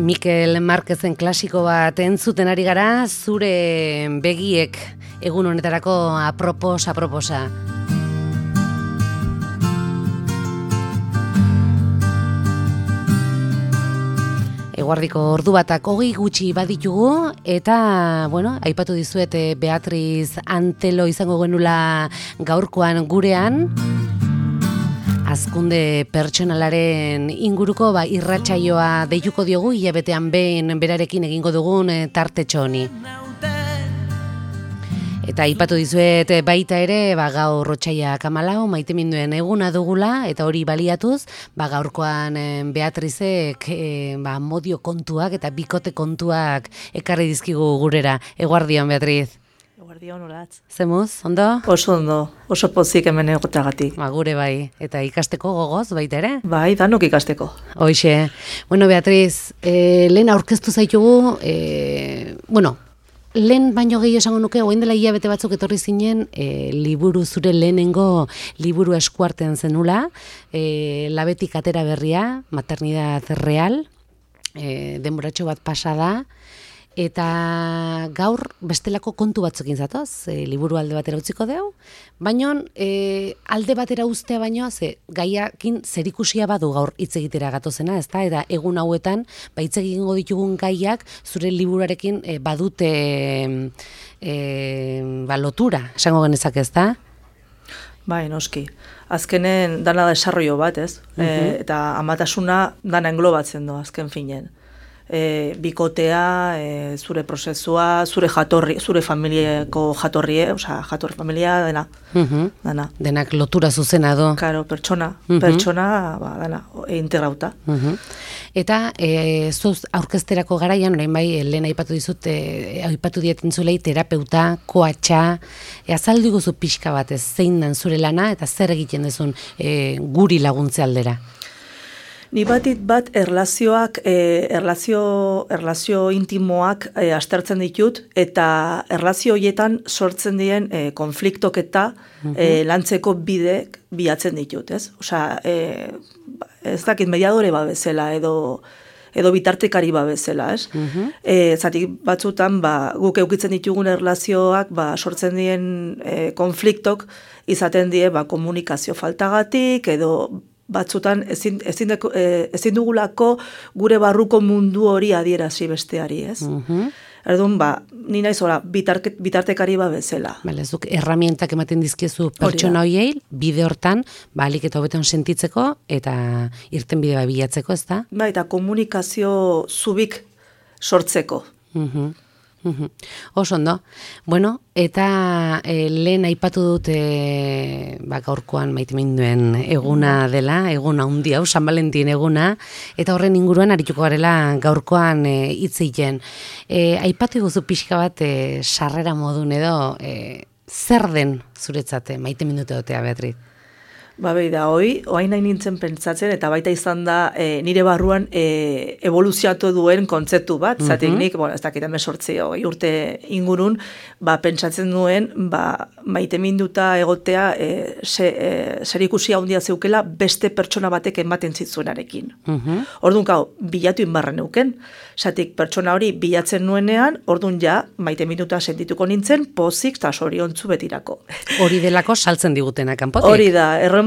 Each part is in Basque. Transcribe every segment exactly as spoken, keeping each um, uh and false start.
Mikel Marquezen klasiko bat entzuten ari gara, zure begiek egun honetarako apropos, aproposa. Eguardiko ordu batak hogei gutxi baditugu eta, bueno, aipatu dizuet Beatriz Antelo izango genula gaurkoan gurean. Hazkunde pertsonalaren inguruko ba, irratsaioa deituko diogu, hilabetean behin berarekin egingo dugun tartetxo honi. Eta aipatu dizuet baita ere, ba, gaur otsailak hamalau maiteminduen eguna dugula, eta hori baliatuz, ba, gaurkoan Beatrizek e, ba, modio kontuak eta bikote kontuak ekarri dizkigu gurera. Eguardion, Beatriz. Eguardion, olatz. Zemuz, ondo? Oso ondo, oso pozik hemen egotagatik. Ba, gure bai, eta ikasteko gogoz baita ere? Bai, danok ikasteko. Hoixe. Bueno, Beatriz, e, lehen aurkeztu zaitugu, e, bueno, lehen baino gehi esango nuke, orain dela hilabete batzuk etorri zinen, e, liburu zure lehenengo liburu eskuartean zenula, e, labetik atera berria, maternidad real, e, denboratxo bat pasada, eta gaur bestelako kontu batzukin zatoz, e, liburu alde batera utziko deu, baina e, alde batera uztea baino, ze gaiakin zerikusia badu gaur hitz egitera gatozena, ezta? Eta egun hauetan, ba hitz egingo ditugun gaiak zure liburuarekin e, badute e, ba, lotura, esango genezak, ezta? Bai, noski. Azkenen dana da desarrollo bat, ez? Uh-huh. e, eta amatasuna dana englobatzen do, azken finen. E, bikotea, e, zure prozesua, zure jatorri, zure familiako jatorrie, osea, jatorri familia dena. Uh-huh. Dana. Denak lotura zuzena do. Claro, pertsona, uh-huh. pertsona, ba, dana, integrauta. Uh-huh. Eta e, zuz aurkezterako garaian, orain bai, lehen aipatu dizut, e, aipatu dietintzulei terapeuta, koatxa, e, azaldu guzu pixka bat ez, zein dan zure lana, eta zer egiten dezun e, guri laguntze aldera. Ni batit bat erlazioak, eh, erlazio, erlazio intimoak eh, aztertzen ditut, eta erlazio horietan sortzen dien eh, konfliktok eta uh-huh. eh, lantzeko bidek bilatzen ditut, ez? Osea, eh, ez dakit mediadore ba bezala, edo, edo bitartekari ba bezala, ez? Uh-huh. Eh, zatik batzutan, ba, guk eukitzen ditugun erlazioak ba, sortzen dien eh, konfliktok izaten die ba, komunikazio faltagatik, edo batzutan ezin, ezin, deko, eh, ezin dugulako gure barruko mundu hori adierazi besteari, ez? Uh-huh. Erdun, ba, ni naiz ora, bitarke, bitartekari ba bezala. Bale, zuk erramientak ematen dizkiezu pertsona hoiei, bide hortan, ba, alik eta hobeton sentitzeko, eta irten bide ba bilatzeko, ez da? Ba, eta komunikazio zubik sortzeko. Uh-huh. Uhum. Oso ondo. Bueno, eta e, lehen aipatu dut e, ba, gaurkoan maiteminduen eguna dela, eguna handi hau, San Valentin eguna, eta horren inguruan arituko garela gaurkoan hitz e, egiten. E, aipatu guzu pixka bat e, sarrera modun edo, e, zer den zuretzate maitemindute dotea, Beatriz? Ba, behi da, hoi, oain nahi nintzen pentsatzen, eta baita izan da e, nire barruan e, evoluziatu duen kontzeptu bat, uh-huh. zatik nik, bueno, ez dakit emesortzi urte ingurun, ba, pentsatzen duen, ba, maite minduta egotea e, se, e, zerikusia handia zeukela beste pertsona batek ematen zitzuenarekin. Uh-huh. Orduan, kau, bilatu inbarra neuken, zatik pertsona hori bilatzen nuenean, orduan ja, maite minduta sentituko nintzen, pozik eta soriontzu betirako. Hori delako saltzen digutena kanpotik? Hori da, errome,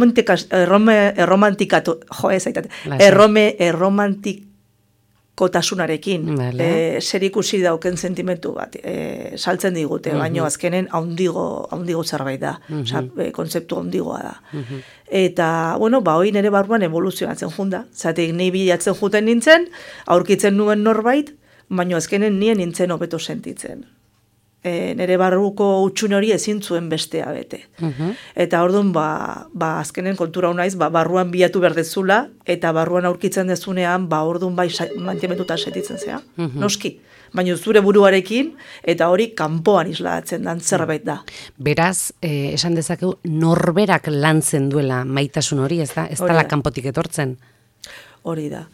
erromantikatu, jo, ez aitate, errome, erromantikotazunarekin, vale. e, zer ikusi dauken sentimentu bat, e, saltzen digute, uh-huh. baino azkenen haundigo, haundigo zerbait da, uh-huh. Osa, e, kontzeptu haundigoa da. Uh-huh. Eta, bueno, ba, hoi nire barruan evoluzionatzen junda, zatik ni bilatzen juten nintzen, aurkitzen nuen norbait, baino azkenen nien nintzen hobeto sentitzen. E, nire barruko utxun hori ezin zuen bestea bete. Uh-huh. Eta orduan, ba, ba, azkenen kontura unaiz, ba, barruan bilatu berdezula, eta barruan aurkitzen dezunean, ba, orduan bai mantimentuta sentitzen zea. Uh-huh. Noski. Baina zure buruarekin, eta hori kanpoan islatzen dan zerbait da. Beraz, eh, esan dezakegu, norberak lantzen duela maitasun hori, ez da? Ez dala kanpotik etortzen. Hori da.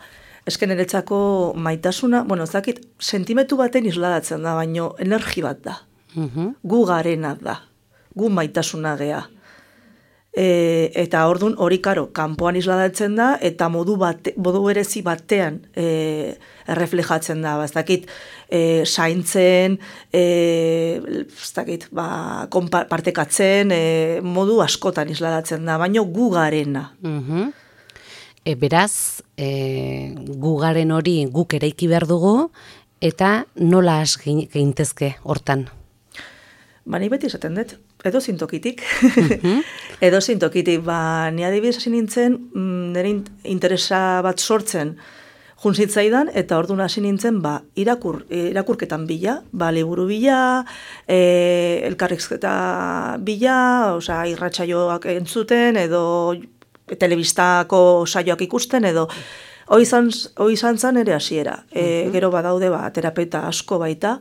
Esken eretzako maitasuna, bueno, ez dakit, sentimentu baten isladatzen da, baino energi bat da. Uh-huh. Gu garena da. Gu maitasuna gea. E, eta ordun hori karo, kanpoan isladatzen da, eta modu, bate, modu berezi batean e, erreflejatzen da. Ba, ez dakit, e, saintzen, e, ez dakit, ba, konpa, partekatzen, e, modu askotan isladatzen da, baino gu garena. Mhm. E, beraz, e, gu garen hori guk eraiki behar dugu, eta nola has geintezke hortan? Ba, ni beti esaten dut, edo zintokitik. Mm-hmm. edo zintokitik, ba, ni adibidez hasi nintzen, nire interesa bat sortzen juntzitzaidan, eta orduan hasi nintzen, ba, irakur, irakurketan bila, ba, liburu bila, e, elkarrizketa bila, osea, irratsaioak entzuten, edo telebistako saioak ikusten, edo hoi izan, hoi izan zan ere hasiera. E, gero badaude, ba, terapeuta asko baita,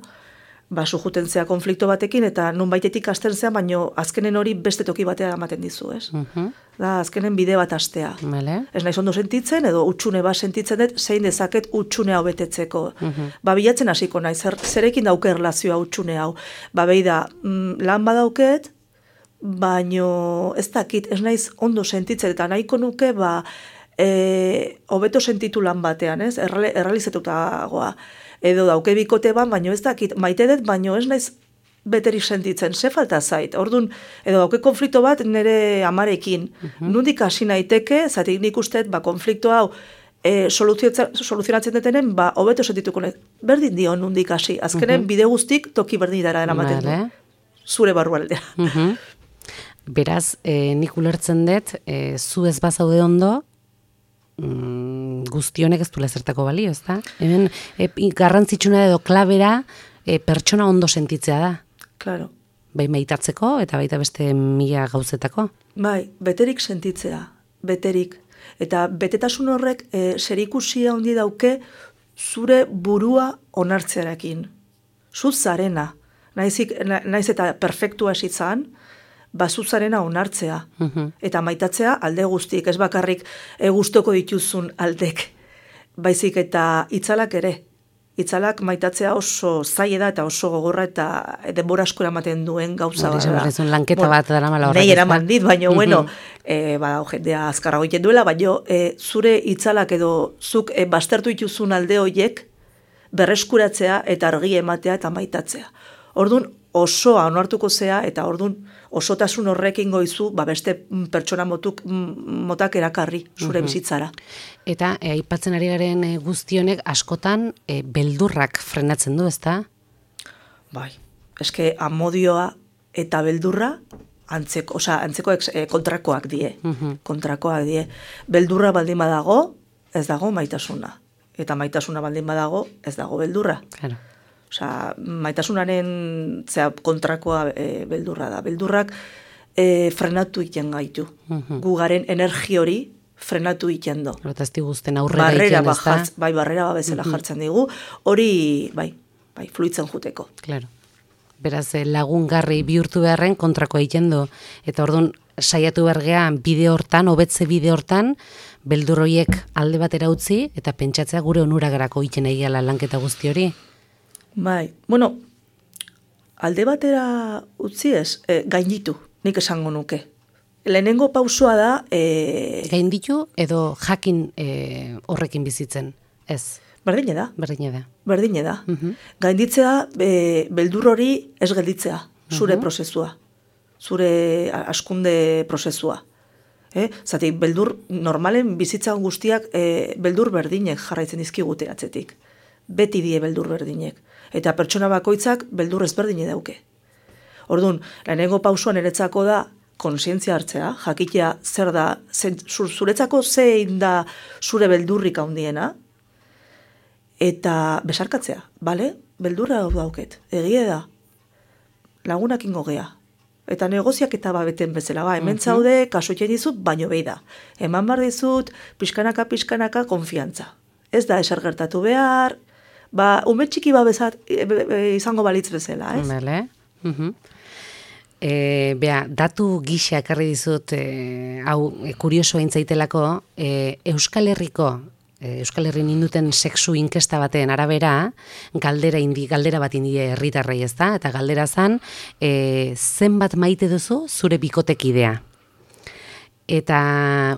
ba, sujuten zea konflikto batekin, eta nun baitetik hasten zea, baino azkenen hori beste toki batea ematen dizu, ez? Uh-huh. Da, azkenen bide bat hastea. Vale. Ez naiz ondo sentitzen, edo utxune bat sentitzen dut, zein dezaket utxune hau betetzeko. Uh-huh. Ba, bilatzen hasiko naiz, zer, zerekin dauke erlazioa utxune hau. Ba, behi da, mm, lan badauket, baino ez dakit, ez naiz ondo sentitzen, eta nahiko nuke, ba, e, hobeto sentitu lan batean, ez? Erre, errealizatutagoa. Edo dauke bikote ban, baino ez dakit, maite dut, baino ez naiz beterik sentitzen, ze falta zait. Orduan, edo dauke konflikto bat nire amarekin. Uh-huh. Nundik hasi naiteke, zatik nik usteet, ba, konflikto hau e, soluzionatzen detenen, ba, hobeto sentituko nahi. Berdin dio nundik hasi. Azkenen, uh-huh. bide guztik toki berdin dara eramaten du. Zure barrualdea. Uh-huh. Beraz, e, nik ulertzen dut, e, zu ez bazaude ondo, Mm, guztionek ez du lezertako balio, ez da? Hemen, e, garrantzitsuna edo klabera e, pertsona ondo sentitzea da. Claro. Bai maitatzeko eta baita beste mila gauzetako. Bai, beterik sentitzea, beterik. Eta betetasun horrek e, zerikusia handi dauke zure burua onartzearekin. Zu zarena. Naizik, na, naiz eta perfektua esitzan, bazuzarena onartzea, uh-huh. eta maitatzea alde guztik, ez bakarrik e, gustoko dituzun aldek, baizik eta itzalak ere. Itzalak maitatzea oso zaila da eta oso gogorra eta denbora asko eramaten duen gauza bat. Hori lanketa bueno, bat dara mala horrek. Nei eraman dit, baina, uh-huh. bueno, e, ba, jendea azkarrago egiten duela, baina e, zure itzalak edo zuk e, baztertu dituzun alde horiek berreskuratzea eta argi ematea eta maitatzea. Orduan, osoa onartuko zea, eta orduan osotasun horrekin goizu, ba beste pertsona motuk, motak erakarri zure uh-huh. bizitzara. Eta e, aipatzen ari garen e, guztionek askotan e, beldurrak frenatzen du, ezta? Bai, eske amodioa eta beldurra antzeko, osea, antzeko e, kontrakoak die. Uh-huh. Kontrakoak die. Beldurra baldin badago, ez dago maitasuna. Eta maitasuna baldin badago, ez dago beldurra. Claro. Osea, maitasunaren zera, kontrakoa e, beldurra da. Beldurrak e, frenatu iten gaitu. Uh-huh. Gugaren energi hori frenatu iten do. Eta ez diguzten aurrera iten, ez da? Bai, barrera ba bezala uh-huh. jartzen digu. Hori, bai, bai, fluitzen juteko. Claro. Beraz, lagungarri bihurtu beharren kontrakoa iten do. Eta orduan, saiatu bergean bide hortan, hobetze bide hortan, beldur horiek alde batera utzi, eta pentsatzea gure onuragarako iten egiala lanketa guzti hori. Bai, bueno, alde batera utzi ez, e, gainditu, nik esango nuke. Lehenengo pausoa da... E... Gainditu edo jakin e, horrekin bizitzen, ez? Berdine da. Berdine da. Berdine da. Uh-huh. Gainditzea, e, beldur hori ez gelditzea, zure uh-huh. prozesua, zure askunde prozesua. Eh? Zati, beldur, normalen bizitza guztiak e, beldur berdinek jarraitzen dizkigute atzetik. Beti die beldur berdinek. Eta pertsona bakoitzak beldur ezberdine dauke. Orduan, lehenengo pausuan eretzako da konsientzia hartzea, jakitea zer da, zen, zuretzako zein da zure beldurrik handiena, eta besarkatzea, bale? Beldurra dauket, egie da, lagunak ingo gea. Eta negoziak eta babeten bezala, ba, hemen zaude, kaso etxen dizut, baino behi da. Eman bar dizut, pixkanaka, pixkanaka, konfiantza. Ez da eser gertatu behar, ba, ume txiki ba bezat, e, e, izango balitz bezala, ez? Bale. Uh-huh. E, bea, datu gisa ekarri dizut, e, hau, e, kurioso intzaitelako, e, Euskal Herriko, e, Euskal Herrin induten sexu inkesta baten arabera, galdera indi, galdera bat indi herritarrei, ez da? Eta galdera zan, e, zenbat maite duzu zure bikotekidea? eta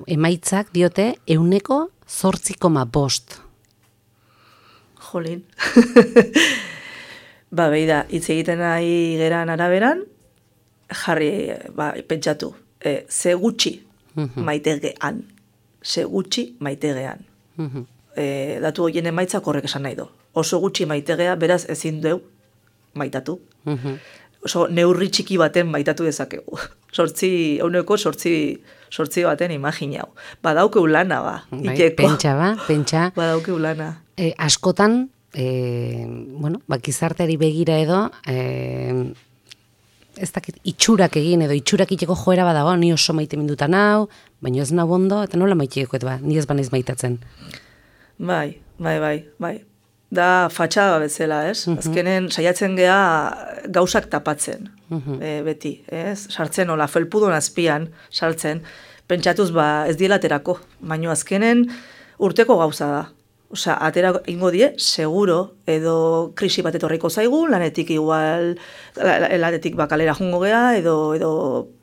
emaitzak diote euneko zortzi koma bost. Jolin. Ba, behi da, hitz egiten nahi geran araberan, jarri, ba, pentsatu, e, ze gutxi maitegean, ze gutxi maitegean. E, datu horien emaitzak horrek esan nahi do. Oso gutxi maitegea, beraz ezin deu maitatu. Oso neurri txiki baten maitatu dezakegu. Sortzi, euneko sortzi, sortzi baten imaginau. Badaukeu lana, ba. Bai, ikeko. pentsa, ba, pentsa. Badaukeu lana. E, askotan, e, bueno, ba, gizarteari begira edo, e, ez dakit, itxurak egin edo itxurak itxeko joera badago, ni oso maite mindutan hau, baina ez nau ondo, eta nola maiteko, eta ba, ni ez banaiz maitatzen. Bai, bai, bai, bai. Da fatxada bezala, ez? Uh-huh. Azkenen saiatzen gea gauzak tapatzen, uh-huh. e, beti, ez? Sartzen, ola, felpudon azpian, sartzen, pentsatuz, ba, ez dielaterako, baino azkenen urteko gauza da. Osea, atera ingo die, seguro, edo krisi bat etorriko zaigu, lanetik igual, lanetik ba, galera jungo gea, edo, edo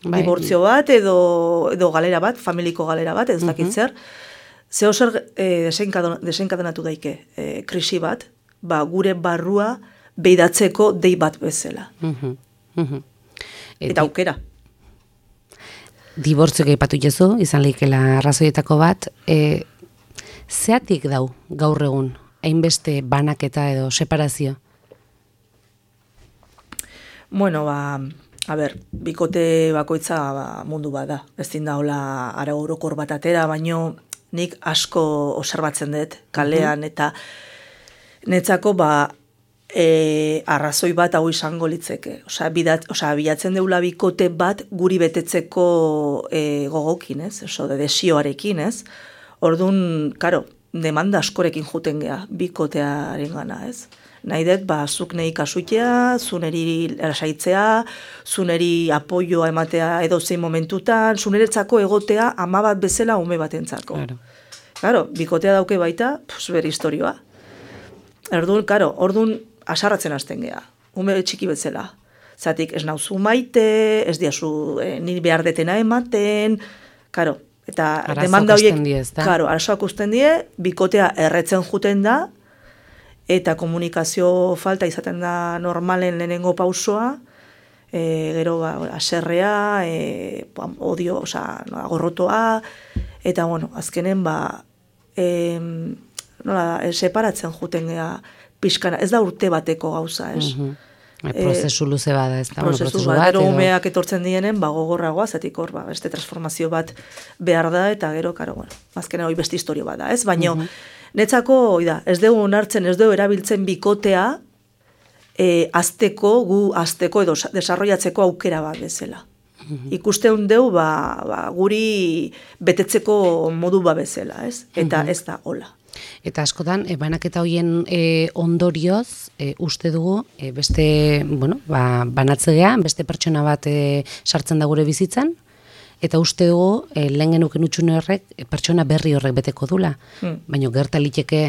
bai. Dibortzio bat, edo, edo galera bat, familiko galera bat, ez dakit zer. Zeo zer e, desenkadenatu daike e, krisi bat, ba, gure barrua beidatzeko dei bat bezala. Uh-huh. Uh-huh. Eta aukera. Dibortzioak aipatu jezu, izan leikela arrazoietako bat, e, zeatik dau gaur egun, hainbeste banaketa edo separazio? Bueno, ba, a ber, bikote bakoitza ba, mundu bada. Ez din daola ara orokor bat atera, baino nik asko observatzen dut kalean, eta netzako ba, e, arrazoi bat hau izango litzeke. Osea, bidat, osea, bilatzen deula bikote bat guri betetzeko e, gogokin, ez? Oso, de desioarekin, ez? Orduan, karo, demanda askorekin juten gea, bikotearen gana, ez? Nahi dut, ba, zuk nahi kasuitea, zuneri erasaitzea, zuneri apoioa ematea edo zein momentutan, zuneretzako egotea ama bat bezala ume batentzako. Claro. Claro, bikotea dauke baita, pues, bere historioa. Orduan, karo, orduan asarratzen hasten gea, ume txiki bezala. Zatik, ez nauzu maite, ez diazu eh, nire behar detena ematen, karo, eta arazoak demanda horiek, die, karo, arazoak usten die, bikotea erretzen juten da, eta komunikazio falta izaten da normalen lehenengo pausoa, e, gero ba, aserrea, e, odio, oza, no, gorrotoa, eta bueno, azkenen ba, e, nola, e, separatzen juten gea pixkana, ez da urte bateko gauza, ez? Uh-huh. E, prozesu luze bada, ez da? Prozesu, prozesu bat, bat, gero edo... umeak etortzen dienen, ba, gogorragoa, zatik hor, ba, beste transformazio bat behar da, eta gero, karo, bueno, azkenen hori beste historio bada, ez? Baina, uh-huh. Netzako, oida, ez dugu onartzen, ez dugu erabiltzen bikotea e, azteko, gu azteko edo desarrollatzeko aukera bat bezala. Mm-hmm. Ikusteun dugu, ba, ba, guri betetzeko modu ba bezala, ez? Eta mm-hmm. ez da hola. Eta askotan, e, banaketa hoien e, ondorioz, e, uste dugu, e, beste, bueno, ba, banatzegea, beste pertsona bat e, sartzen da gure bizitzan, eta uste dugu, e, lehen genuken utxune horrek, e, pertsona berri horrek beteko dula. Hmm. Baina gertaliteke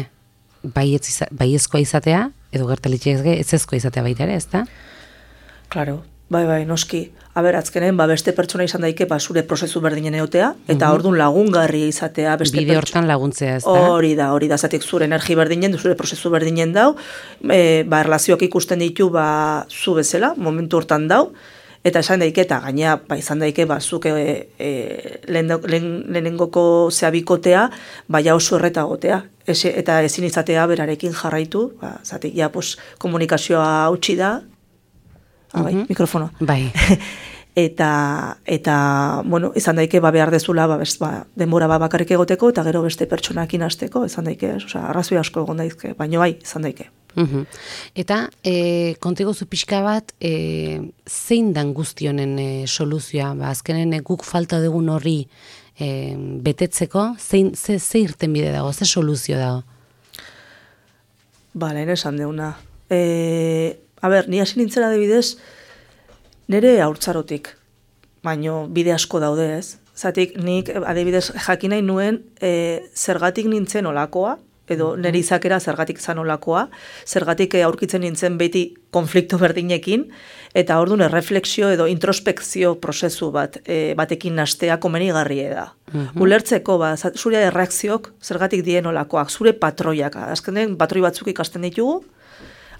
baiezkoa izatea, edo gertaliteke ezezkoa izatea baita ere, ez da? Claro, bai, bai, noski. Aber, atzkenen, ba, beste pertsona izan daike, ba, zure prozesu berdinen eotea, eta mm-hmm. orduan lagungarri izatea. Beste bide hortan laguntzea, ez da? Hori da, hori da, zatik zure energi berdinen, zure prozesu berdinen dau, e, ba, erlazioak ikusten ditu, ba, zu bezala, momentu hortan dau, eta esan daike, eta gaina, ba, izan daike, ba, zuke e, e, lehenengoko zeabikotea, baina oso erreta gotea, Ese, eta ezin izatea berarekin jarraitu, ba, zatik, ja, pues, komunikazioa hautsi da, ah, bai, uh-huh. mikrofono. Bai. eta, eta, bueno, izan daike, ba, behar dezula, ba, best, ba, denbora ba, bakarrik egoteko, eta gero beste pertsonakin hasteko, izan daike, osea, arrazoi asko egon daizke, baina bai, izan daike. Uhum. Eta e, kontigo zu pixka bat, e, zein dan guztionen e, soluzioa, ba, azkenen e, guk falta dugun horri e, betetzeko, zein, ze, ze irten bide dago, ze soluzio dago? Ba, lehen esan deuna. E, a ber, ni hasi nintzera adibidez, nire haurtzarotik, baino bide asko daude ez. Zatik, nik adibidez jakin nahi nuen, e, zergatik nintzen olakoa, edo nire izakera zergatik zanolakoa, zergatik aurkitzen nintzen beti konflikto berdinekin, eta orduan erreflexio edo introspekzio prozesu bat e, batekin nastea komenigarrie da. Uh-huh. Ulertzeko, ba, zure erreakziok zergatik dien olakoak, zure patroiak, azkenen patroi batzuk ikasten ditugu,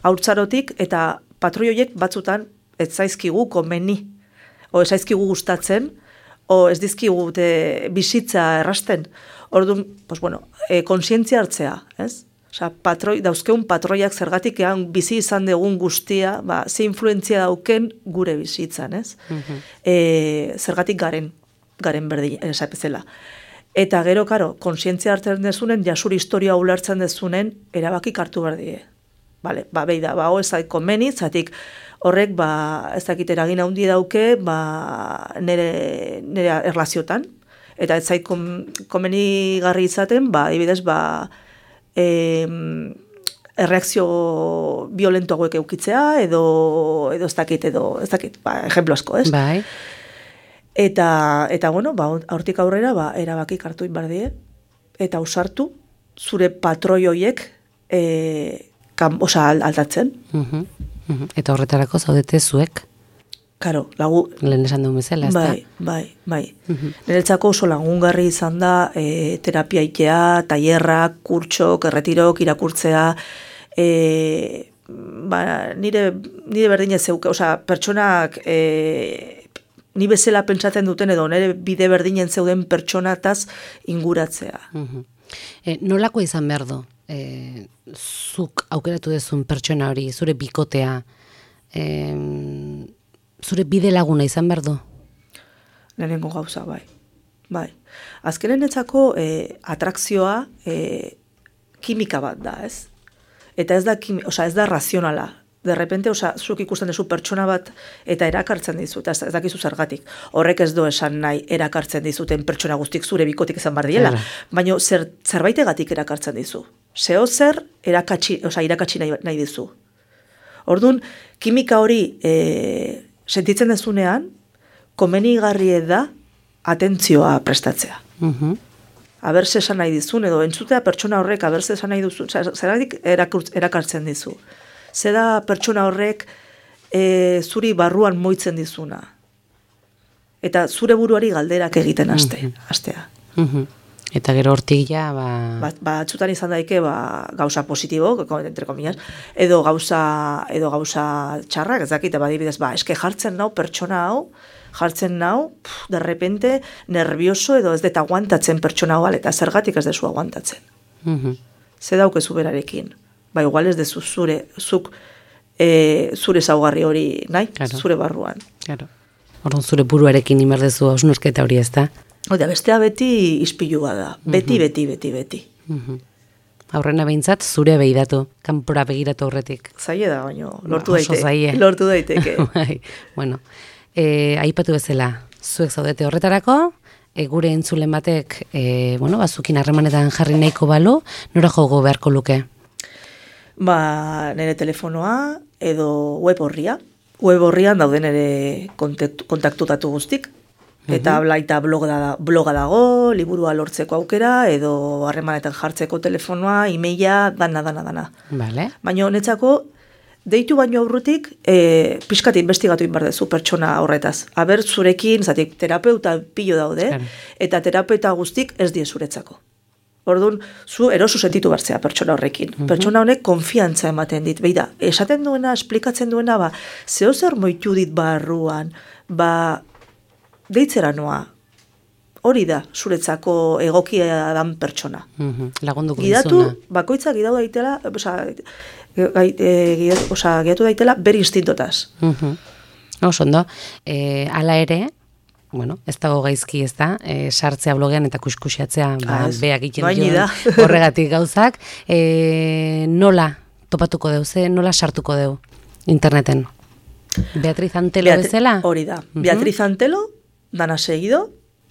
haurtzarotik, eta patroi horiek batzutan ez zaizkigu komeni, o ez zaizkigu gustatzen, o ez dizkigu bizitza errasten. Orduan, pues bueno, e, konsientzia hartzea, ez? Osa, patroi, dauzkeun patroiak zergatik ean bizi izan dugun guztia, ba, ze influentzia dauken gure bizitzan, ez? Uh-huh. E, zergatik garen, garen berdin, esapezela. Eta gero, karo, konsientzia hartzen dezunen, jasur historia ulertzen dezunen, erabakik hartu berdie. Vale, ba, beida, ba, ho ez zaiko meni, zatik horrek, ba, ez dakit eragin handi dauke, ba, nire, nire erlaziotan, eta ez zait komeni garri izaten, ba, ibidez, ba, e, erreakzio violento hauek eukitzea, edo, edo ez dakit, edo, ez dakit, ba, ejemplo asko, ez? Bai. Eta, eta bueno, ba, hortik aurrera, ba, erabakik hartu inbardie, eta usartu, zure patroi hoiek, e, kam, osa, aldatzen. Uh-huh. Uh-huh. Eta horretarako zaudete zuek? Karo, lagu... Lehen esan duen bezala, ez da? Bai, bai, bai. Uh-huh. Niretzako oso lagungarri izan da e, terapia itea, tailerrak, kurtsok, erretirok, irakurtzea, e, ba, nire, nire berdine zeuke, oza, pertsonak e, ni bezala pentsatzen duten edo nire bide berdinen zeuden pertsonataz inguratzea. Uh-huh. E, nolako izan behar du? E, zuk aukeratu dezun pertsona hori, zure bikotea, e, zure bide laguna izan behar du? Lehenengo gauza, bai. Bai. Azkenen etzako e, atrakzioa e, kimika bat da, ez? Eta ez da, kimi, oza, ez da razionala. De repente, oza, zuk ikusten duzu pertsona bat eta erakartzen dizu, eta ez dakizu zergatik. Horrek ez do esan nahi erakartzen dizuten pertsona guztik zure bikotik izan bar diela, baina zer, zerbaitegatik erakartzen dizu. Zeo zer erakatsi, oza, irakatsi nahi, nahi dizu. Orduan, kimika hori e, sentitzen dezunean, komenigarrie da atentzioa prestatzea. Uh-huh. Aberse esan nahi dizun, edo entzutea pertsona horrek aberse esan nahi duzun, zeratik erakartzen dizu. Zeda pertsona horrek e, zuri barruan moitzen dizuna. Eta zure buruari galderak egiten aste, uh-huh. astea. Uh-huh. Eta gero hortik ja, ba... Ba, ba txutan izan daike, ba, gauza positibo, entre comillas, edo gauza, edo gauza txarrak, ez dakite, badibidez, ba, eske jartzen nau, pertsona hau, jartzen nau, pff, de repente, nervioso, edo ez deta aguantatzen pertsona hau, eta zergatik ez dezu aguantatzen. Uh-huh. Ze daukezu berarekin. Ba, igual ez dezu zure, zuk, e, zure zaugarri hori, nahi, claro. Zure barruan. Claro. Orduan zure buruarekin imerdezu hausnurketa hori ez da? Oda, bestea beti ispilua da. Beti, uh-huh. beti, beti, beti. Uh-huh. Aurrena behintzat, zure behiratu, kanpora begiratu aurretik. Zaie da, baino, lortu ba, daiteke. Lortu daiteke. Bueno, e, aipatu bezala, zuek zaudete horretarako, e, gure entzulen batek, e, bueno, bazukin harremanetan jarri nahiko balu, nora jogo beharko luke? Ba, nire telefonoa, edo web horria. Web horrian dauden nire kontaktutatu guztik. Eta uh-huh. blaita bloga, da, bloga dago, liburua lortzeko aukera, edo harremanetan jartzeko telefonoa, e-maila, dana, dana, dana. Vale. Baina honetzako, deitu baino aurrutik, e, pixkat investigatu inbardezu pertsona horretaz. Aber zurekin, zatik, terapeuta pilo daude, claro. Eta terapeuta guztik ez die zuretzako. Orduan, zu erosu sentitu bartzea pertsona horrekin. Uh-huh. Pertsona honek konfiantza ematen dit. Beida, esaten duena, esplikatzen duena, ba, zeo zer moitu dit barruan, ba, deitzera noa, hori da, zuretzako egokia dan pertsona. Uh-huh. Lagunduko gidatu, dizuna. Bakoitza gidatu daitela, oza, e, oza, gidatu daitela beri instintotaz. Uh-huh. Oso ondo, e, ala ere, bueno, ez dago gaizki ez da, e, sartzea blogean eta kuskusiatzea, ba, beak egiten joan horregatik gauzak, e, nola topatuko deu, ze nola sartuko deu interneten? Beatriz Antelo Beatri, bezala? Hori da, uh-huh. Beatriz Antelo, danasegido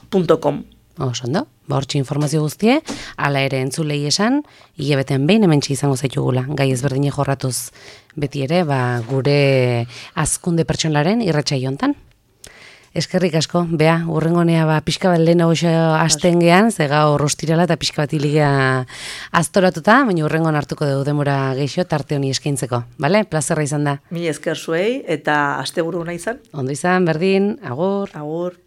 punto com. Oso ondo, ba hortxe informazio guztie, ala ere entzulei esan, hilabeten behin hementxe izango zaitugula, gai ezberdine jorratuz beti ere, ba, gure azkunde pertsonalaren irratsaio hontan. Eskerrik asko, bea, urrengonea ba, pixka bat lehen hau hasten gehan, ze gaur ostirala eta pixka bat iliga aztoratuta, baina urrengon hartuko dugu demora geixo tarte honi eskaintzeko, bale? Plazerra izan da. Mi esker zuei eta asteburu nahi izan. Ondo izan, berdin, agur. Agur.